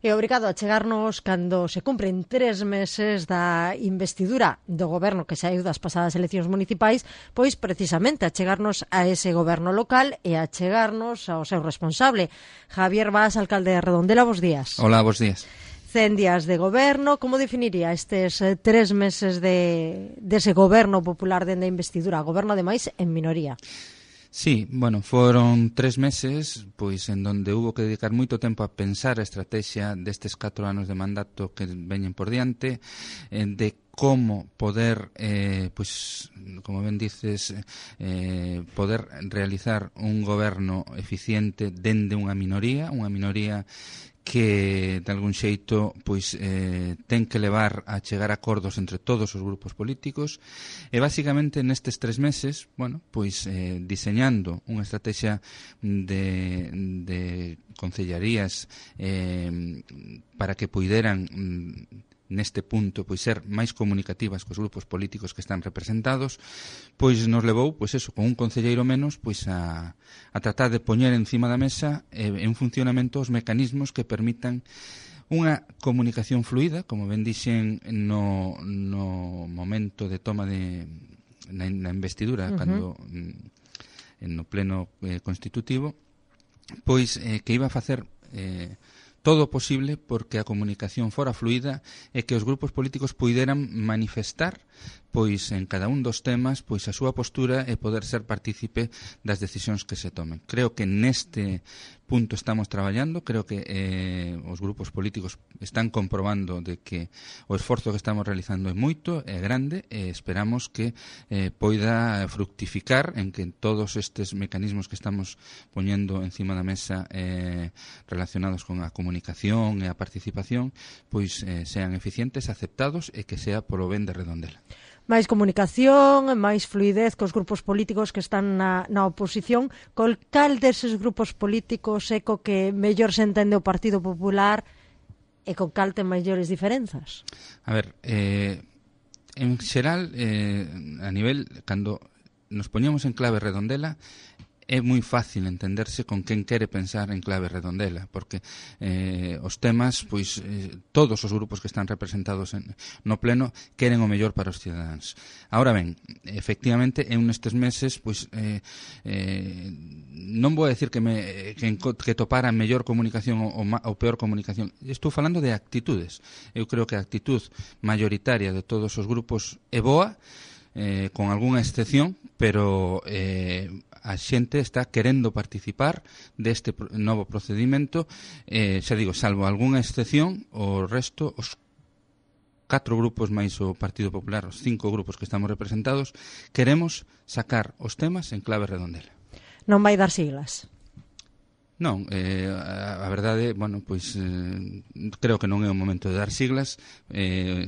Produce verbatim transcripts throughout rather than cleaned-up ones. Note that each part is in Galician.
E obrigado a chegarnos cando se cumpren tres meses da investidura do goberno que saiu das pasadas eleccións municipais, pois precisamente a chegarnos a ese goberno local e a chegarnos ao seu responsable. Javier Bas, alcalde de Redondela, bos días. Hola, bos días. Cen días de goberno, como definiría estes eh, tres meses de dese goberno popular dende a investidura, goberno ademais en minoría? Sí, bueno, foron tres meses pois en donde hubo que dedicar moito tempo a pensar a estrategia destes catro anos de mandato que veñen por diante, eh, de como poder, eh, pois, como ben dices, eh, poder realizar un goberno eficiente dende unha minoría, unha minoría que de algún xeito pois eh, ten que levar a chegar a acordos entre todos os grupos políticos e basicamente nestes tres meses, bueno, pois eh, diseñando unha estrategia de, de concellarías eh, para que puideran neste punto pois ser máis comunicativas cos grupos políticos que están representados, pois nos levou, pois eso, con un concelleiro menos, pois a, a tratar de poñer encima da mesa eh, en funcionamento os mecanismos que permitan unha comunicación fluida, como ben dixen no, no momento de toma de na, na investidura, uh-huh. cando en no pleno eh, constitutivo, pois eh, que iba a facer eh, todo o posible porque a comunicación fora fluida e que os grupos políticos puideran manifestar pois en cada un dos temas pois a súa postura e poder ser partícipe das decisións que se tomen. Creo que neste punto estamos traballando, creo que eh, os grupos políticos están comprobando de que o esforzo que estamos realizando é moito, é grande e esperamos que eh, poida fructificar en que todos estes mecanismos que estamos poñendo encima da mesa eh, relacionados con a comunicación e a participación pois eh, sean eficientes, aceptados e que sea polo ben de Redondela. Máis comunicación, máis fluidez cos grupos políticos que están na, na oposición. Col cal deses grupos políticos é co que mellor se entende o Partido Popular e con cal ten maiores diferenzas? A ver, eh, en xeral, eh, a nivel, cando nos poñemos en clave Redondela, é moi fácil entenderse con quen quere pensar en clave Redondela, porque eh, os temas, pois eh, todos os grupos que están representados en, no pleno queren o mellor para os cidadáns. Ahora ben, efectivamente, en nestes meses, pois eh, eh, non vou a decir que, me, que, que topara a mellor comunicación ou, ou peor comunicación. Estou falando de actitudes. Eu creo que a actitud mayoritaria de todos os grupos é boa, eh, con algunha excepción, pero eh, a xente está querendo participar deste novo procedimento, eh, xa digo, salvo algunha excepción, o resto, os catro grupos máis o Partido Popular, os cinco grupos que estamos representados, queremos sacar os temas en clave Redondela. Non vai dar siglas? Non, eh, a, a verdade, bueno, pois eh, creo que non é o momento de dar siglas. Eh,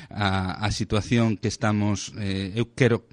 a, a situación que estamos, eh, eu quero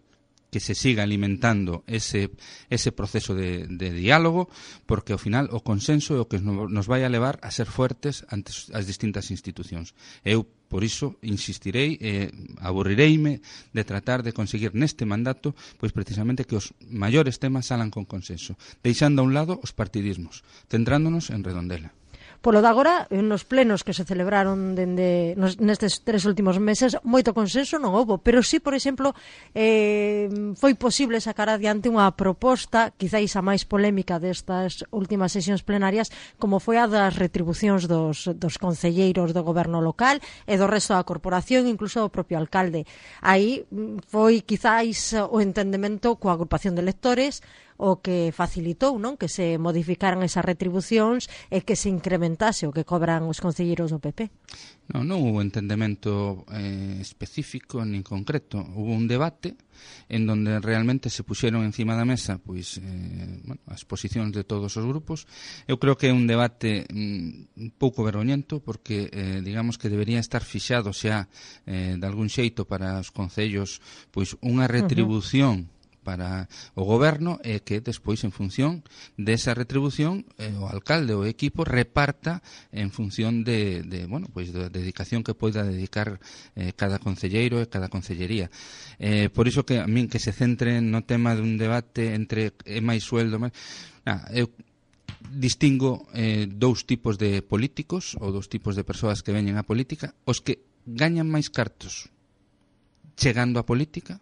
que se siga alimentando ese, ese proceso de, de diálogo, porque ao final o consenso é o que nos vai a levar a ser fuertes ante as distintas institucións. Eu, por iso, insistirei, eh, aburrireime de tratar de conseguir neste mandato, pois precisamente que os maiores temas salan con consenso, deixando a un lado os partidismos, centrándonos en Redondela. Polo de agora, nos plenos que se celebraron dende nos, nestes tres últimos meses, moito consenso non houbo, pero sí, por exemplo, eh, foi posible sacar adiante unha proposta, quizáis a máis polémica destas últimas sesións plenarias, como foi a das retribucións dos, dos concelleiros do goberno local e do resto da corporación, incluso do propio alcalde. Aí foi quizáis o entendemento coa agrupación de electores o que facilitou, non, que se modificaran esas retribucións e que se incrementase o que cobran os concelleiros do P P. Non, non hubo entendemento eh, específico nin concreto. Hubo un debate en donde realmente se puxeron encima da mesa pois eh, bueno, as posicións de todos os grupos. Eu creo que é un debate mm, un pouco vergoñento porque eh, digamos que debería estar fixado xa eh, de algún xeito para os concellos pois unha retribución uh-huh. para o goberno e que despois en función desa retribución eh, o alcalde ou o equipo reparta en función de, de bueno, pois da dedicación que poida dedicar eh, cada concelleiro e cada concellería. Eh, por iso que a min que se centre no tema dun debate entre é máis sueldo, máis... Nah, eu distingo eh, dous tipos de políticos ou dous tipos de persoas que veñen á política, os que gañan máis cartos chegando á política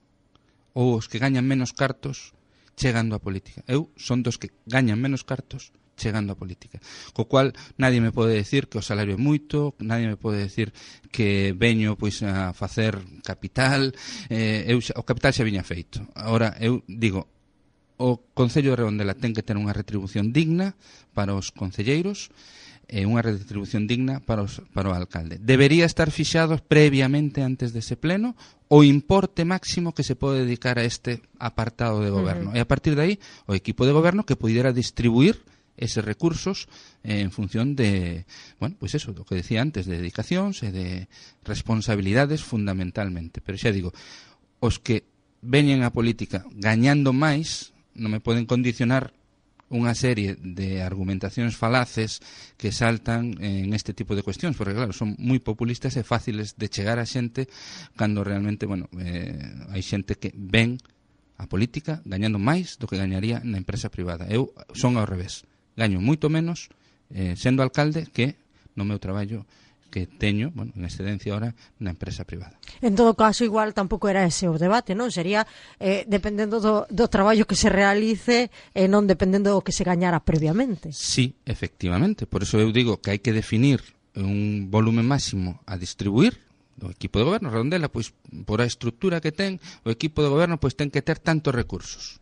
ou os que gañan menos cartos chegando á política. Eu son dos que gañan menos cartos chegando á política. Co cual, nadie me pode decir que o salario é moito, nadie me pode decir que veño pois a facer capital, eh, eu, o capital xa viña feito. Agora, eu digo, o Concello de Redondela ten que ter unha retribución digna para os concelleiros e unha retribución digna para, os, para o alcalde. Debería estar fixado previamente antes dese pleno o importe máximo que se pode dedicar a este apartado de goberno. Uh-huh. E a partir de aí, o equipo de goberno que pudiera distribuir eses recursos eh, en función de, bueno, pois pues eso, do que decía antes, de dedicacións e de responsabilidades fundamentalmente. Pero xa digo, os que veñen a política gañando máis non me poden condicionar unha serie de argumentacións falaces que saltan en este tipo de cuestións, porque claro, son moi populistas e fáciles de chegar a xente cando realmente, bueno, eh, hai xente que ven a política gañando máis do que gañaría na empresa privada. Eu son ao revés, gaño moito menos eh, sendo alcalde que no meu traballo que teño, bueno, en excedencia ahora na empresa privada. En todo caso, igual tampouco era ese o debate, non? Sería eh, dependendo do, do traballo que se realice e non dependendo do que se gañara previamente. Sí, efectivamente. Por eso eu digo que hai que definir un volumen máximo a distribuir. O equipo de goberno, Redondela, pois por a estrutura que ten, o equipo de goberno pois ten que ter tantos recursos.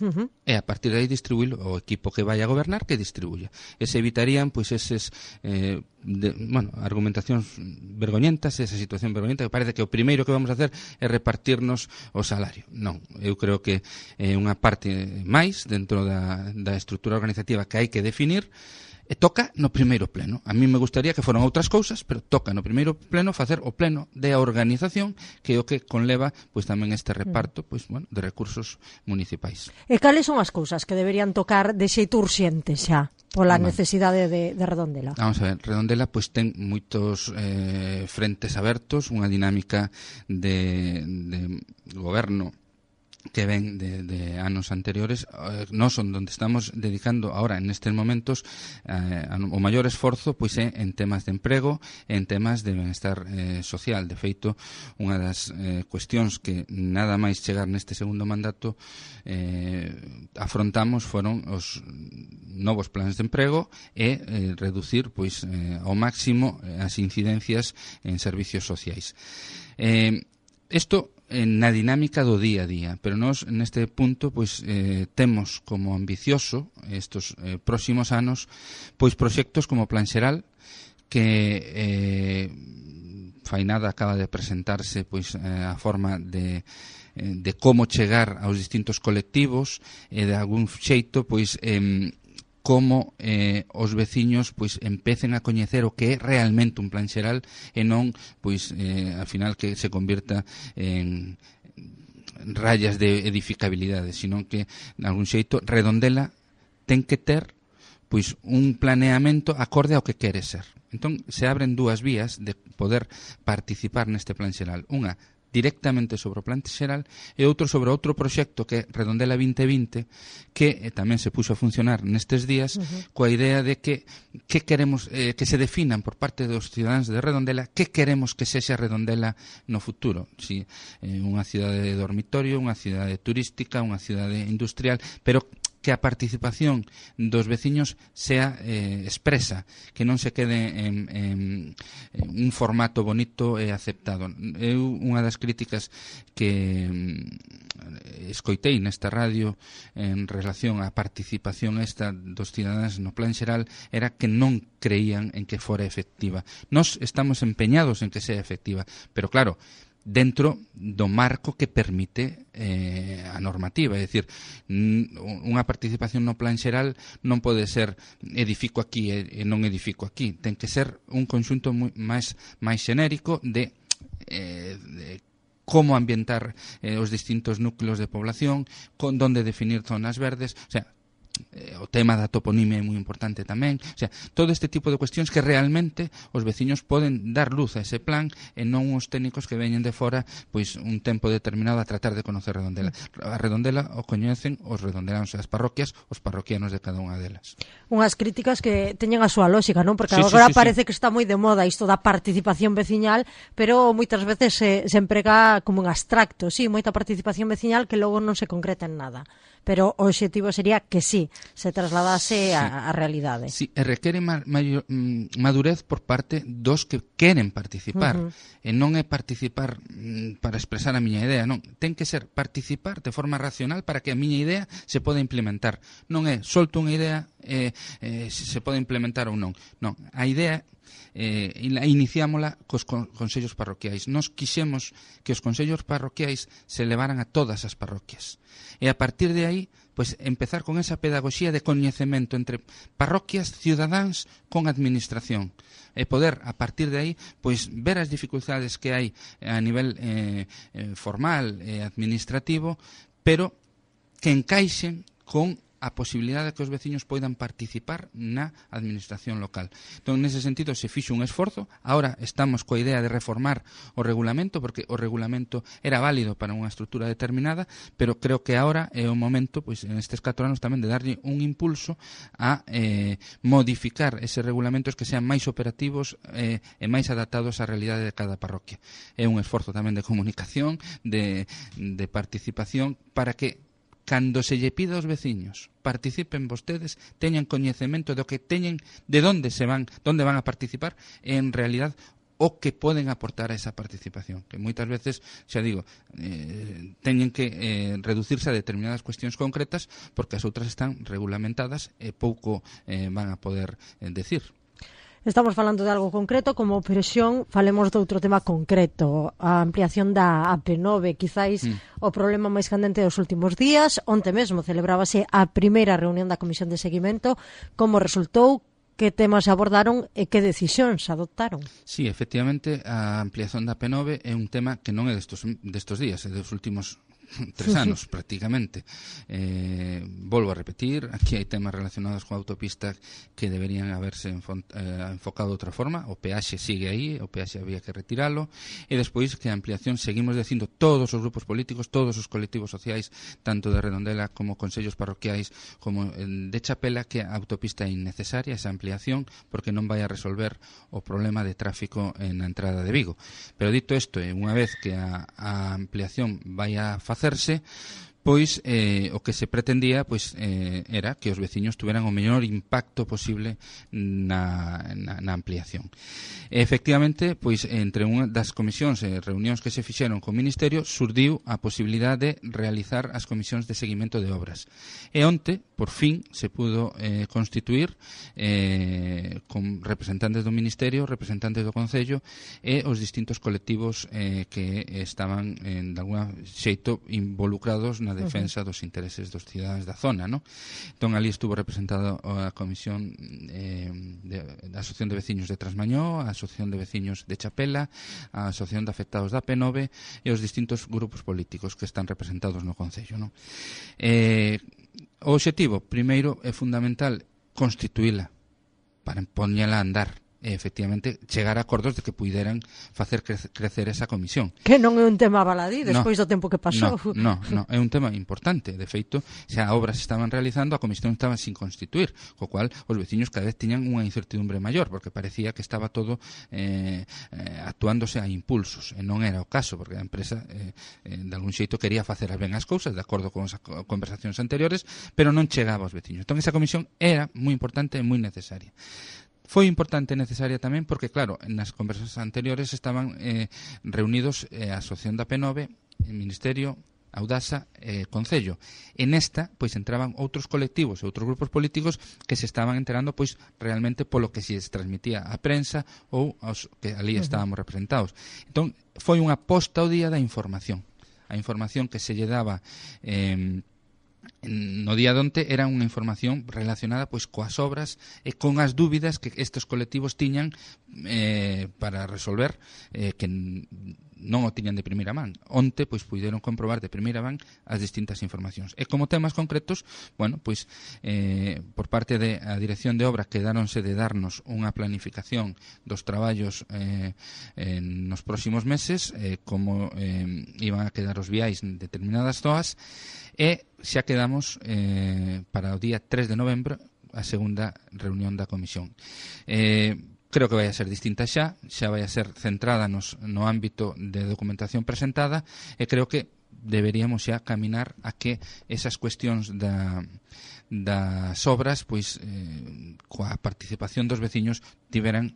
Uh-huh. E a partir de aí distribuílo o equipo que vai a gobernar que distribuya. E se evitarían pois eses eh, de, bueno, argumentacións vergoñentas, esa situación vergoñenta que parece que o primeiro que vamos a hacer é repartirnos o salario. Non, eu creo que é eh, unha parte máis dentro da, da estrutura organizativa que hai que definir. E toca no primeiro pleno. A mí me gustaría que foran outras cousas, pero toca no primeiro pleno facer o pleno de organización, que é o que conleva pois tamén este reparto pois bueno, de recursos municipais. E cales son as cousas que deberían tocar de xeito urxente xa pola bueno. necesidade de, de Redondela? Vamos a ver, Redondela pois ten moitos eh, frentes abertos, unha dinámica de, de goberno que ven de, de anos anteriores. Eh, non son onde estamos dedicando ahora en estes momentos eh, o maior esforzo pois é en temas de emprego, en temas de benestar eh, social. De feito, unha das eh, cuestións que nada máis chegar neste segundo mandato eh, afrontamos foron os novos planes de emprego e eh, reducir pois eh, ao máximo as incidencias en servicios sociais. Eh, isto na dinámica do día a día, pero nós neste punto pois eh, temos como ambicioso estos eh, próximos anos pois proxectos como Plan Xeral, que eh, fai nada acaba de presentarse pois eh, a forma de eh, de como chegar aos distintos colectivos e de algún xeito pois eh, como eh, os veciños pois empecen a coñecer o que é realmente un plan xeral e non pois eh, al final que se convirta en rayas de edificabilidade, sino que en algún xeito Redondela ten que ter pois un planeamento acorde ao que quere ser. Entón se abren dúas vías de poder participar neste plan xeral. Unha directamente sobre o plan xeral e outro sobre outro proxecto que é Redondela vinte vinte, que eh, tamén se puxo a funcionar nestes días uh-huh. coa idea de que que queremos eh, que se definan por parte dos cidadáns de Redondela que queremos que sexa Redondela no futuro. Si eh, unha cidade de dormitorio, unha cidade turística, unha cidade industrial, pero que a participación dos veciños sea eh, expresa, que non se quede en, en, en un formato bonito e aceptado. Eu, unha das críticas que mm, escoitei nesta radio en relación á participación esta dos cidadáns no plan xeral era que non creían en que fora efectiva. Nós estamos empeñados en que sea efectiva, pero claro, dentro do marco que permite eh, a normativa, é dicir, unha participación no plan xeral non pode ser edifico aquí e, e non edifico aquí, ten que ser un conxunto moi, máis, máis xenérico de, eh, de como ambientar eh, os distintos núcleos de población, con donde definir zonas verdes, o sea, eh, o tema da toponimia é moi importante tamén, o sea, todo este tipo de cuestións que realmente os veciños poden dar luz a ese plan e non os técnicos que veñen de fora pois un tempo determinado a tratar de conocer Redondela. A Redondela o coñecen os redondelanos e as parroquias, os parroquianos de cada unha delas. Unhas críticas que teñen a súa lógica, non? Porque sí, agora sí, sí, parece sí. que está moi de moda isto da participación veciñal, pero moitas veces se, se emprega como un abstracto, sí, moita participación veciñal que logo non se concreta en nada. Pero o obxectivo sería que sí, se trasladase a, a realidade. Sí, e requere ma, mayor, madurez por parte dos que queren participar. Uh-huh. E non é participar mm, para expresar a miña idea, non. Ten que ser participar de forma racional para que a miña idea se poda implementar. Non é solto unha idea e eh, se pode implementar ou non. Non, a idea eh, iniciámola cos consellos parroquiais. Nos quixemos que os consellos parroquiais se levaran a todas as parroquias. E a partir de aí, pois empezar con esa pedagogía de coñecemento entre parroquias, cidadáns con administración. E poder, a partir de aí, pois ver as dificultades que hai a nivel eh, eh, formal e administrativo, pero que encaixen con a posibilidade de que os veciños poidan participar na administración local. Entón, nese sentido, se fixo un esforzo. Ahora estamos coa idea de reformar o regulamento, porque o regulamento era válido para unha estrutura determinada, pero creo que ahora é o momento, pois, en estes catro anos tamén, de darlle un impulso a eh, modificar eses regulamentos que sean máis operativos eh, e máis adaptados á realidade de cada parroquia. É un esforzo tamén de comunicación, de, de participación, para que cando se lle pida aos veciños participen vostedes, teñan coñecemento do que teñen, de onde se van, onde van a participar, e en realidad o que poden aportar a esa participación, que moitas veces, xa digo, eh, teñen que eh, reducirse a determinadas cuestións concretas porque as outras están regulamentadas e pouco eh, van a poder eh, decir. Estamos falando de algo concreto, como opresión, falemos de outro tema concreto, a ampliación da A P nove, quizáis mm. o problema máis candente dos últimos días. Onte mesmo celebrábase a primeira reunión da Comisión de Seguimento. Como resultou? Que temas abordaron e que decisións adoptaron? Sí, efectivamente, a ampliación da A P nove é un tema que non é destos, destos días, é dos últimos tres anos prácticamente. Eh, volvo a repetir, aquí hai temas relacionados coa autopista que deberían haberse enfo, eh, enfocado de outra forma. O peaxe sigue aí, o peaxe había que retiralo, e despois que a ampliación, seguimos dicindo todos os grupos políticos, todos os colectivos sociais, tanto de Redondela como consellos parroquiais como de Chapela, que a autopista é innecesaria, esa ampliación, porque non vai a resolver o problema de tráfico na entrada de Vigo. Pero dito isto, unha vez que a, a ampliación vai a facer hacerse, pois eh, o que se pretendía pois eh, era que os veciños tuveran o mellor impacto posible na, na, na ampliación. E, efectivamente, pois entre unha das comisións e reunións que se fixeron co Ministerio surdiu a posibilidade de realizar as comisións de seguimento de obras. E onte, por fin, se pudo eh, constituir eh, con representantes do Ministerio, representantes do Concello e os distintos colectivos eh, que estaban, en, de alguna xeito, involucrados na defensa dos intereses dos cidadáns da zona, ¿no? Entón, ali estuvo representada a Comisión eh, de, da Asociación de Veciños de Trasmañó, a Asociación de Veciños de Chapela, a Asociación de Afectados da A P nove e os distintos grupos políticos que están representados no Concello, ¿no? Eh, o obxectivo, primeiro, é fundamental constituíla para poñela a andar e, efectivamente, chegar a acordos de que puideran facer crecer esa comisión. Que non é un tema baladí despois no, do tempo que pasou. No, no, no, é un tema importante. De feito, xa obras se estaban realizando, a comisión estaba sin constituir, co cual os veciños cada vez tiñan unha incertidumbre maior, porque parecía que estaba todo eh, eh, actuándose a impulsos, e non era o caso, porque a empresa eh, eh, de algún xeito quería facer ben as cousas, de acordo con as conversacións anteriores, pero non chegaba aos veciños. Entón, esa comisión era moi importante e moi necesaria. Foi importante e necesaria tamén porque, claro, nas conversas anteriores estaban eh, reunidos eh, a Asociación da A P nove, o Ministerio, Audasa e eh, Concello. En esta, pois, entraban outros colectivos e outros grupos políticos que se estaban enterando, pois, realmente polo que se transmitía a prensa ou aos que ali estábamos representados. Entón, foi unha posta ao día da información. A información que se lle daba eh, no día de onte era unha información relacionada pois coas obras e con as dúbidas que estes colectivos tiñan eh, para resolver eh, que non o tiñan de primeira man. Onte, pois, puideron comprobar de primeira man as distintas informacións. E como temas concretos, bueno, pois, eh, por parte da Dirección de Obra quedáronse de darnos unha planificación dos traballos eh, eh, nos próximos meses, eh, como eh, iban a quedar os viais en determinadas zoas, e xa quedamos eh, para o día tres de novembro a segunda reunión da Comisión. Eh, creo que vai a ser distinta xa, xa vai a ser centrada nos, no ámbito de documentación presentada, e creo que deberíamos xa caminar a que esas cuestións da, das obras, pois, eh, coa participación dos veciños tiveran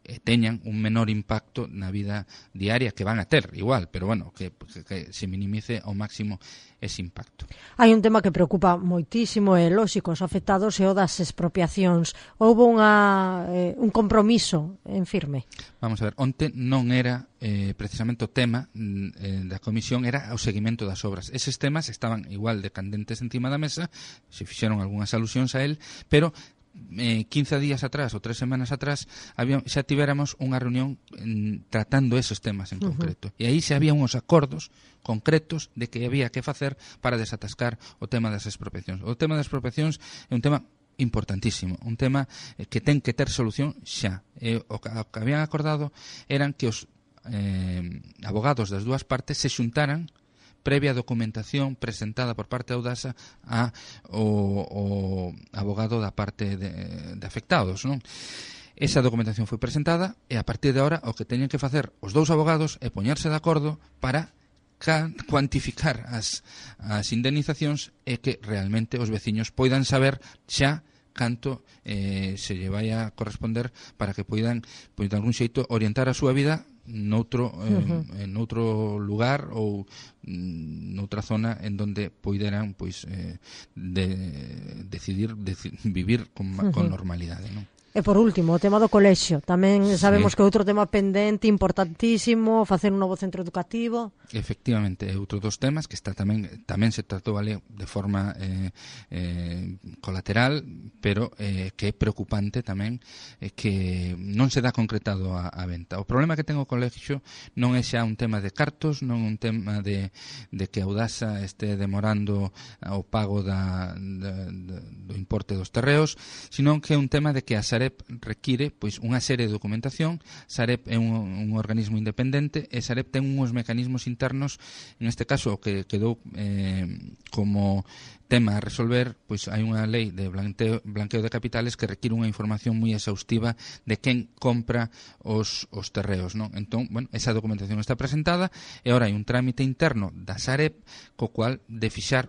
e teñan un menor impacto na vida diaria, que van a ter igual, pero bueno, que, que, que se minimice ao máximo ese impacto. Hai un tema que preocupa moitísimo e lóxico os afectados e o das expropiacións. Houve unha, eh, un compromiso en firme? Vamos a ver, onte non era eh, precisamente o tema eh, da comisión, era o seguimento das obras. Eses temas estaban igual de candentes encima da mesa, se fixeron algunhas alusións a él, pero Eh, quince días atrás ou tres semanas atrás había, xa tivéramos unha reunión en, tratando esos temas en uh-huh. concreto, e aí xa había uns acordos concretos de que había que facer para desatascar o tema das expropiacións. O tema das expropiacións é un tema importantísimo, un tema eh, que ten que ter solución xa. Eh, o, que, o que habían acordado eran que os eh, abogados das dúas partes se xuntaran previa documentación presentada por parte da Audasa a o, o abogado da parte de, de afectados, non? Esa documentación foi presentada e a partir de agora o que teñen que facer os dous abogados é poñerse de acordo para cuantificar as, as indemnizacións e que realmente os veciños poidan saber xa canto eh, se lle vai a corresponder para que poidan, pois, de algún xeito orientar a súa vida noutro, eh, uh-huh. en outro lugar ou noutra zona en donde poideran, pois, eh, de, decidir deci, vivir con, uh-huh. con normalidade, non? E por último, o tema do colexio. Tamén sabemos sí. que outro tema pendente, importantísimo, facer un novo centro educativo. Efectivamente, é outro dos temas que está tamén tamén se tratou ali de forma eh, eh, colateral, pero eh, que é preocupante tamén eh, que non se dá concretado a, a venta. O problema que ten o colexio non é xa un tema de cartos, non un tema de, de que a Audasa este demorando o pago da, da, da, do importe dos terreos, sino que é un tema de que a Sareb require, pois, unha serie de documentación. Sareb é un, un organismo independente e Sareb ten uns mecanismos internos, en este caso o que quedou eh, como tema a resolver, pois hai unha lei de blanqueo, blanqueo de capitales que require unha información moi exhaustiva de quen compra os, os terreos, non? Entón, bueno, esa documentación está presentada e agora hai un trámite interno da Sareb co cual de fixar,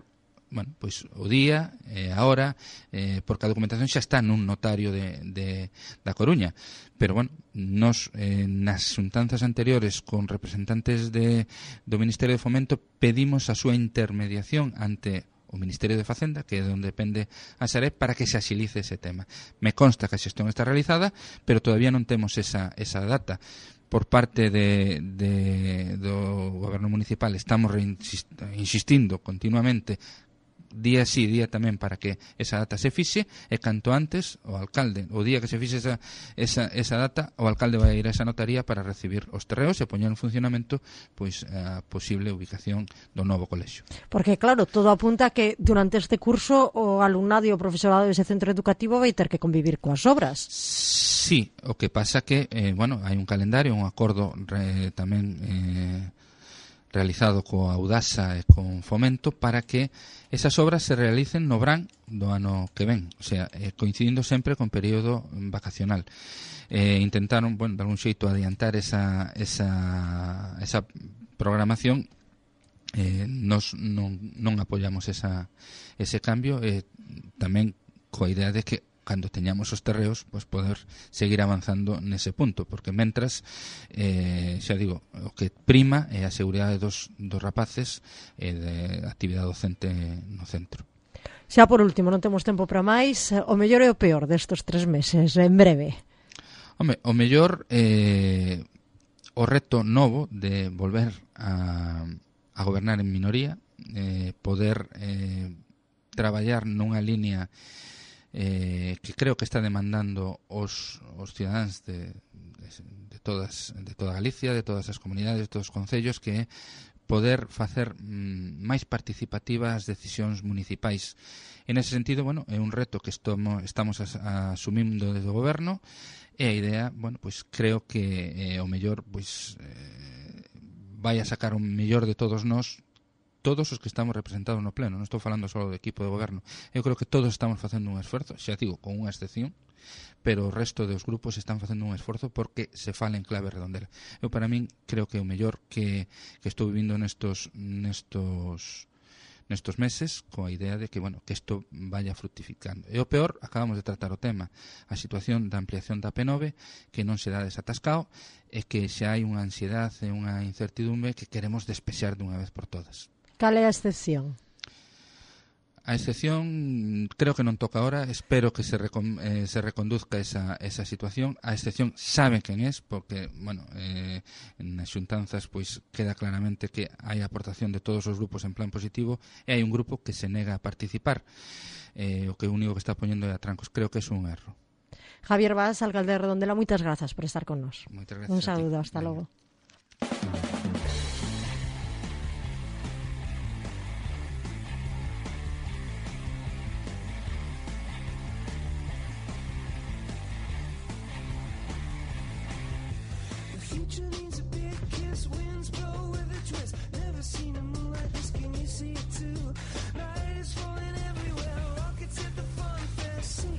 bueno, pois o día, eh, a hora, eh, porque a documentación xa está nun notario de, de, da Coruña. Pero, bueno, nos eh, nas xuntanzas anteriores con representantes de, do Ministerio de Fomento pedimos a súa intermediación ante o Ministerio de Facenda, que é onde depende a Sareb, para que se axilice ese tema. Me consta que a xestión está realizada, pero todavía non temos esa, esa data. Por parte de, de, do Goberno Municipal estamos insistindo continuamente día sí, día tamén, para que esa data se fixe, e canto antes o alcalde, o día que se fixe esa, esa, esa data, o alcalde vai ir a esa notaría para recibir os terreos e poñer en funcionamento, pois, a posible ubicación do novo colexio. Porque, claro, todo apunta a que durante este curso o alumnado e o profesorado dese centro educativo vai ter que convivir coas obras. Sí, o que pasa que, eh, bueno, hai un calendario, un acordo eh, tamén eh, realizado coa Audasa e con Fomento para que esas obras se realicen no verán do ano que ven, o sea, eh, coincidindo sempre con período vacacional. Eh, intentaron, bueno, de algún xeito adiantar esa, esa, esa programación. Eh, nos non, non apoiamos esa, ese cambio, eh, tamén coa idea de que cando teñamos os terreos, pois poder seguir avanzando nese punto, porque mentras, eh, xa digo, o que prima é a seguridade dos, dos rapaces e de actividade docente no centro. Xa por último, non temos tempo para máis, o mellor e o peor destes tres meses, en breve. Home, o mellor, eh, o reto novo de volver a, a gobernar en minoría, eh, poder eh, traballar nunha línea Eh, que creo que está demandando os, os cidadáns de, de todas de toda Galicia, de todas as comunidades, de todos os concellos, que é poder facer mm, máis participativas as decisións municipais. En ese sentido, bueno, é un reto que estamos, estamos as, asumindo desde o goberno, e a idea, bueno, pois creo que eh, o mellor pois eh, vai a sacar o mellor de todos nós, todos os que estamos representados no pleno. Non estou falando só do equipo de goberno. Eu creo que todos estamos facendo un esforzo, xa digo, con unha excepción, pero o resto dos grupos están facendo un esforzo porque se fala en clave redondela. Eu, para min, creo que o mellor que, que estou vivindo nestos nestos nestos meses, coa idea de que, bueno, que isto vaya fructificando. E o peor, acabamos de tratar o tema, a situación da ampliación da P nove, que non se dá desatascado, e que xa hai unha ansiedade e unha incertidumbre que queremos despexar dunha vez por todas. Cal é a excepción? A excepción creo que non toca ahora, espero que se, recon, eh, se reconduzca esa, esa situación. A excepción sabe quen é, porque, bueno, eh, nas xuntanzas pois queda claramente que hai aportación de todos os grupos en plan positivo e hai un grupo que se nega a participar, eh, o que o único que está poñendo é a trancos. Creo que é un erro. Javier Vaz, alcalde de Redondela, moitas grazas por estar con nos. Moitas gracias. Un saludo, hasta logo. Future